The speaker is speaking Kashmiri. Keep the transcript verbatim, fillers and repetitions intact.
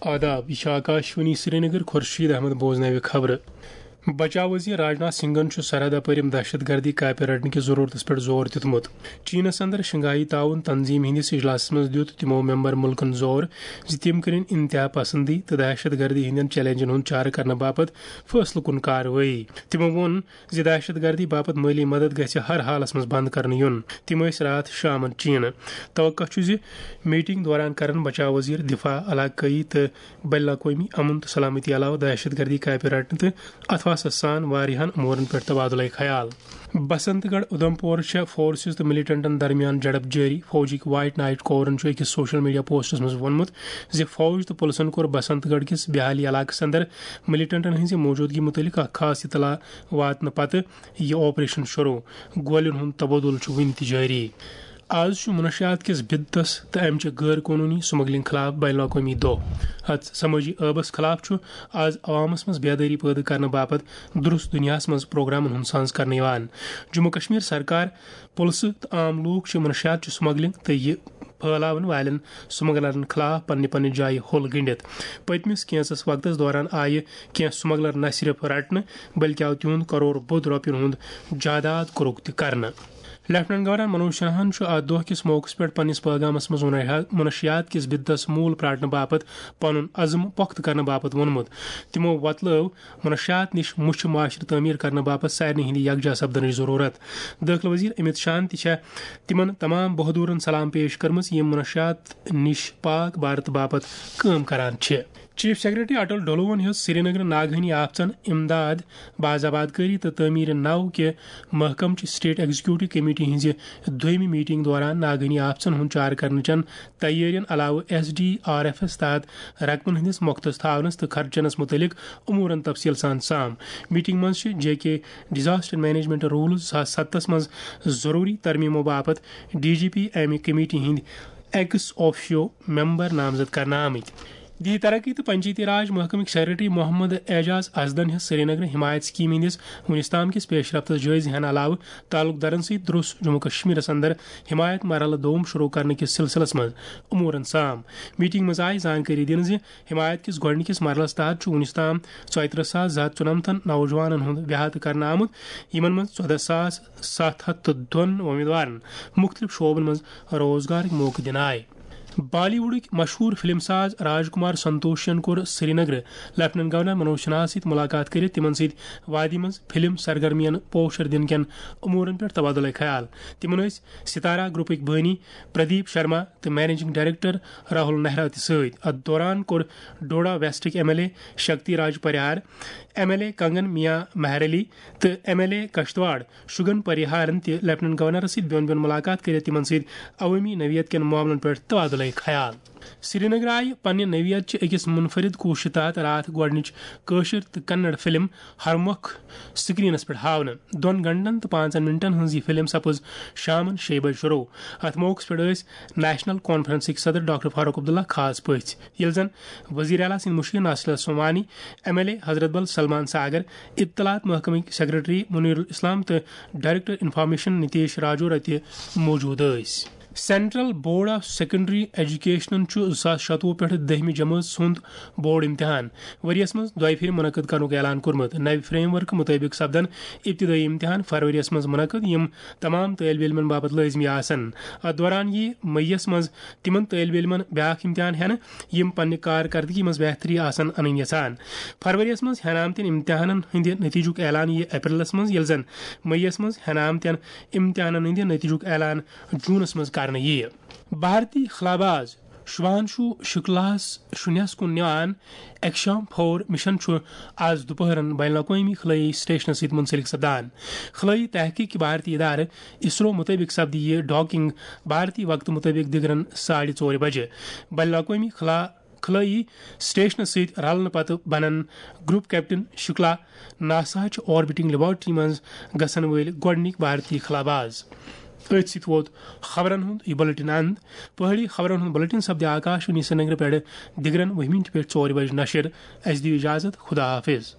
آداب، یہِ چھِ آکاشوانی سرینگر، خورشید احمد بوزناوِ خبرٕ۔ بچاو وزیر راجناتھ سنگھن چھُ سرحد اپٲرۍ یِم دہشت گردی کاپہِ رٹنہٕ کِس ضرورتس پٮ۪ٹھ زور دیُتمُت۔ چینس اندر شنگھائی تعاون تنظیم ہٕنٛدِس اجلاسس منٛز دیُت تِمو ممبر مُلکن زور زِ تِم کٔرِن انتہا پسندی تہٕ دہشت گردی ہٕنٛدٮ۪ن چیلنجن ہُنٛد چارٕ کرنہٕ باپتھ فٲصلہٕ کُن کاروٲیی۔ تِمو ووٚن زِ دہشت گردی باپتھ مٲلی مدد گژھِ ہر حالس منٛز بند کرنہٕ یُن۔ تِم ٲسۍ راتھ شامن چینہٕ۔ توقع چھُ زِ میٹنگ دوران کرن بچاو وزیر دفاع، علاقٲیی تہٕ بین الاقوٲمی امن تہٕ سلامتی علاوٕ دہشت گردی کاپہِ رٹنہٕ تہٕ اتھواسس سان واریاہن امورن پٮ۪ٹھ تبادلہ خیال۔ بسنت گڑھ اُدھمپور چھےٚ فورسز تہٕ ملیٹنٹن درمیان جھڑپ جٲری۔ فوجٕکۍ وائٹ نائٹ کورن چھُ أکِس سوشل میڈیا پوسٹس منٛز ووٚنمُت زِ فوج تہٕ پُلسن کوٚر بسنت گڑھ کِس بیالی علاقس اندر ملیٹنٹن ہٕنٛزِ موجودگی مُتعلق اکھ خاص اطلاع واتنہٕ پتہٕ یہِ آپریشن شروع۔ گولین ہُنٛد تبادلہٕ چھُ وُنہِ تہِ جٲری۔ آز چھُ منشیات کِس بدعتس تہٕ امہِ چہِ غٲر قونوٗنی سمگلنگ خلاف بین الاقوٲمی دۄہ۔ اتھ سمٲجی عٲبس خلاف چھُ آز عوامس منٛز بیدٲری پٲدٕ کرنہٕ باپتھ درست دُنیاہس منٛز پروگرامن ہُنٛد سانز کرنہٕ یِوان۔ جموں کشمیر سرکار، پُلسہٕ تہٕ عام لوٗکھ چھِ منشیات چہِ سمگلنگ تہٕ یہِ پھٲلاون والٮ۪ن سمگلرن خلاف پننہِ پننہِ جایہِ ہوٚل گنڈِتھ۔ پٔتمِس کینژس وقتس دوران آیہِ کینٛہہ سمگلر نہ صرف رٹنہٕ، بلکہ آو تِہُنٛد کرور بوٚد رۄپین ہُنٛد جائیداد قرق تہِ کرنہٕ۔ لیفٹیننٹ گورنر منوج سنہاہن چھُ اتھ دۄہ کِس موقعس پٮ۪ٹھ پننِس پیغامس منٛز منشیات کِس بدعتس موٗل پراٹنہٕ باپتھ پنُن عزم پۄختہٕ کرنہٕ باپتھ ووٚنمُت۔ تِمو وۄتلٲو منشیات نِش مُچھِ معاشرٕ تعمیٖر کرنہٕ باپتھ سارنٕے ہٕنٛدِ یکجا سپدنٕچ ضروٗرت۔ دٲخلہٕ وزیر امت شاہن تہِ چھےٚ تِمن تمام بہادُرن سلام پیش کٔرمٕژ، یِم منشیات نِش پاک بھارت باپتھ کٲم کران چھِ۔ چیف سیکرٹری اٹل ڈولون ہیوٚت سرینگرٕ ناگہٲنی آفژن امداد، باز آبادکٲری تہٕ تعمیٖر نو کہِ محکمہٕ چہِ سٹیٹ ایگزیکیوٹو کمیٹی ہٕنٛزِ دوٚیمہِ میٹنگ دوران ناگہٲنی آفژن ہُنٛد چارٕ کرنہٕ چٮ۪ن تیٲرین علاوٕ ایس ڈی آر ایفس تحت رقمن ہٕنٛدِس مۄختس تھاونس تہٕ خرچنس مُتعلق امورن تفصیل سان سام۔ میٹنگ منٛز چھِ J K disaster management rules زٕ ساس ستس منٛز ضروٗری ترمیمو باپتھ D G P M committee ہٕنٛدۍ ایکس آفیشیو ممبر نامزد کرنہٕ آمٕتۍ۔ دی ترقی تہٕ پنچایتی راج محکمٕکۍ سیکرٹری محمد اعجاز ازدن ہیٚژ سرینگرٕ حمایت سکیمہِ ہٕنٛدِس وُنیُس تام کِس پیش رفتس جٲیزٕ ہٮ۪نہٕ علاوٕ تعلق دارن سۭتۍ دروٚس جموں کشمیرس اندر حمایت مرحلہٕ دوم شروع کرنہٕ کِس سلسلس منٛز امورن سام۔ میٹنگ منٛز آیہِ زانکٲری دِنہٕ زِ حمایت کِس گۄڈٕنِکِس مرحلس تحت چھُ وُنیُس تام ژۄیہِ ترٕٛہ ساس زٕ ہتھ ژُنمتن نوجوانن ہُنٛد احاطہٕ کرنہٕ آمُت، یِمن منٛز ژۄدہ ساس ستھ ہتھ تہٕ دۄن امیدوارن مُختٔلِف شعبن منٛز روزگارٕکۍ موقعہٕ دِنہٕ آیہِ۔ بالی ووڈٕکۍ مشہوٗر فلم ساز راج کمار سنتوشن کوٚر سرینگرٕ لیفٹیننٹ گورنر منوج سنہاہس سۭتۍ مُلاقات کٔرِتھ تِمن سۭتۍ وادی منٛز فلم سرگرمین پوسچر دِنہٕ کٮ۪ن امورن پٮ۪ٹھ تبادلہ خیال۔ تِمن ٲسۍ ستارہ گروپٕکۍ بٲنی پردیپ شرما تہٕ مینیجنگ ڈائریکٹر راہل نہرا تہِ سۭتۍ۔ اتھ دوران کوٚر ڈوڈا ویسٹٕکۍ M L A Shakti Raj Parihar, M L A Kangan Mian Mehar-Ali تہٕ M L A Kishtwar Shagun پریہارن تہِ لیفٹیننٹ گورنرس سۭتۍ بیوٚن بیوٚن مُلاقات کٔرِتھ تِمن سۭتۍ عوٲمی نوعیت کٮ۪ن معاملن پٮ۪ٹھ تبادلہ خیال۔ سرینگر آیہِ پننہِ نوعیت چہِ أکِس منفرد کوٗششہِ تحت راتھ گۄڈٕنِچ کٲشِر تہٕ کنڑ فلم ہرمۄکھ سکرینس پٮ۪ٹھ ہاونہٕ۔ دۄن گھنٹن تہٕ پانٛژن منٹن ہٕنٛز یہِ فلم سپٕز شامن شیٚیہِ بجہِ شروع۔ اتھ موقعس پٮ۪ٹھ ٲسۍ نیشنل کانفرنسٕکۍ صدر ڈاکٹر فاروق عبداللہ خاص پٔژھۍ، ییٚلہِ زن وزیر اعلیٰ سٕنٛدۍ مُشیر ناصر اللہ سومانی، ایم ایل اے حضرت بل سلمان ساگر، اطلاعات محکمٕکۍ سیکرٹری منیر الاسلام تہٕ ڈائریکٹر انفارمیشن نتیش راجورہ تہِ موجود ٲسۍ۔ سینٹرل بورڈ آف سیکنڈری ایجوکیشنن چھُ زٕ ساس شتوُہ پٮ۪ٹھ دٔہمہِ جمٲژ ہُنٛد بورڈ امتحان ؤریَس منٛز دۄیہِ پھِرِ منعقد کرنُک اعلان کوٚرمُت۔ نوِ فریم ورکہٕ مُطٲبِق سپدن ابتدٲئی امتحان فروریَس منٛز منعقد، یِم تمام طٲلبہِ علمَن باپتھ لٲزمی آسن۔ اتھ دوران یِیہِ مئیَس منٛز تِمن طٲلبہِ علمَن بیاکھ امتحان ہٮ۪نہٕ، یِم پننہِ کارکردگی منٛز بہتری آسن انٕنۍ یژھان۔ فروریَس منٛز ہٮ۪نہٕ آمتٮ۪ن امتحانن ہٕنٛدِ نتیجُک اعلان یِیہِ اپریلَس منٛز، ییٚلہِ زن مئیَس منٛز ہٮ۪نہٕ آمتٮ۪ن امتحانن ہٕنٛدِ نتیجُک اعلان جونَس منٛز کرنہٕ یِیہِ۔ بھارتی خلاباز شُبھانشو شُکلاہَس شُنیَس کُن نِوان ایکشام فور مِشن چھُ آز دُپہرن بین الاقوٲمی خلٲیی سٹیشنَس سۭتۍ منسلک سپدان۔ خلٲیی تحقیق کہِ بھارتی ادارٕ اسرو مُطٲبِق سپدِ یہِ ڈاکنگ بھارتی وقتہٕ مُطٲبِق دِگرن ساڑِ ژورِ بجہِ۔ بین الاقوٲمی خلا-، خلٲیی سٹیشنَس سۭتۍ رلنہٕ پتہٕ بنن گروپ کیپٹن شُکلا ناساہٕچ آربٹنگ لیبارٹری منٛز گژھن وٲلۍ گۄڈٕنِکۍ بھارتی خلاباز۔ أتھۍ سۭتۍ ووت خبرن ہُنٛد یہِ بُلٹن اند۔ پہٲڑی خبرن ہُنٛد بُلٹن سپدِ آکاشوانی سرینگرٕ پٮ۪ٹھ دِگرن وُہہِ مِنٹہِ پٮ۪ٹھ ژورِ بجہِ نشر۔ اَسہِ دِیِو اجازت، خدا حافظ۔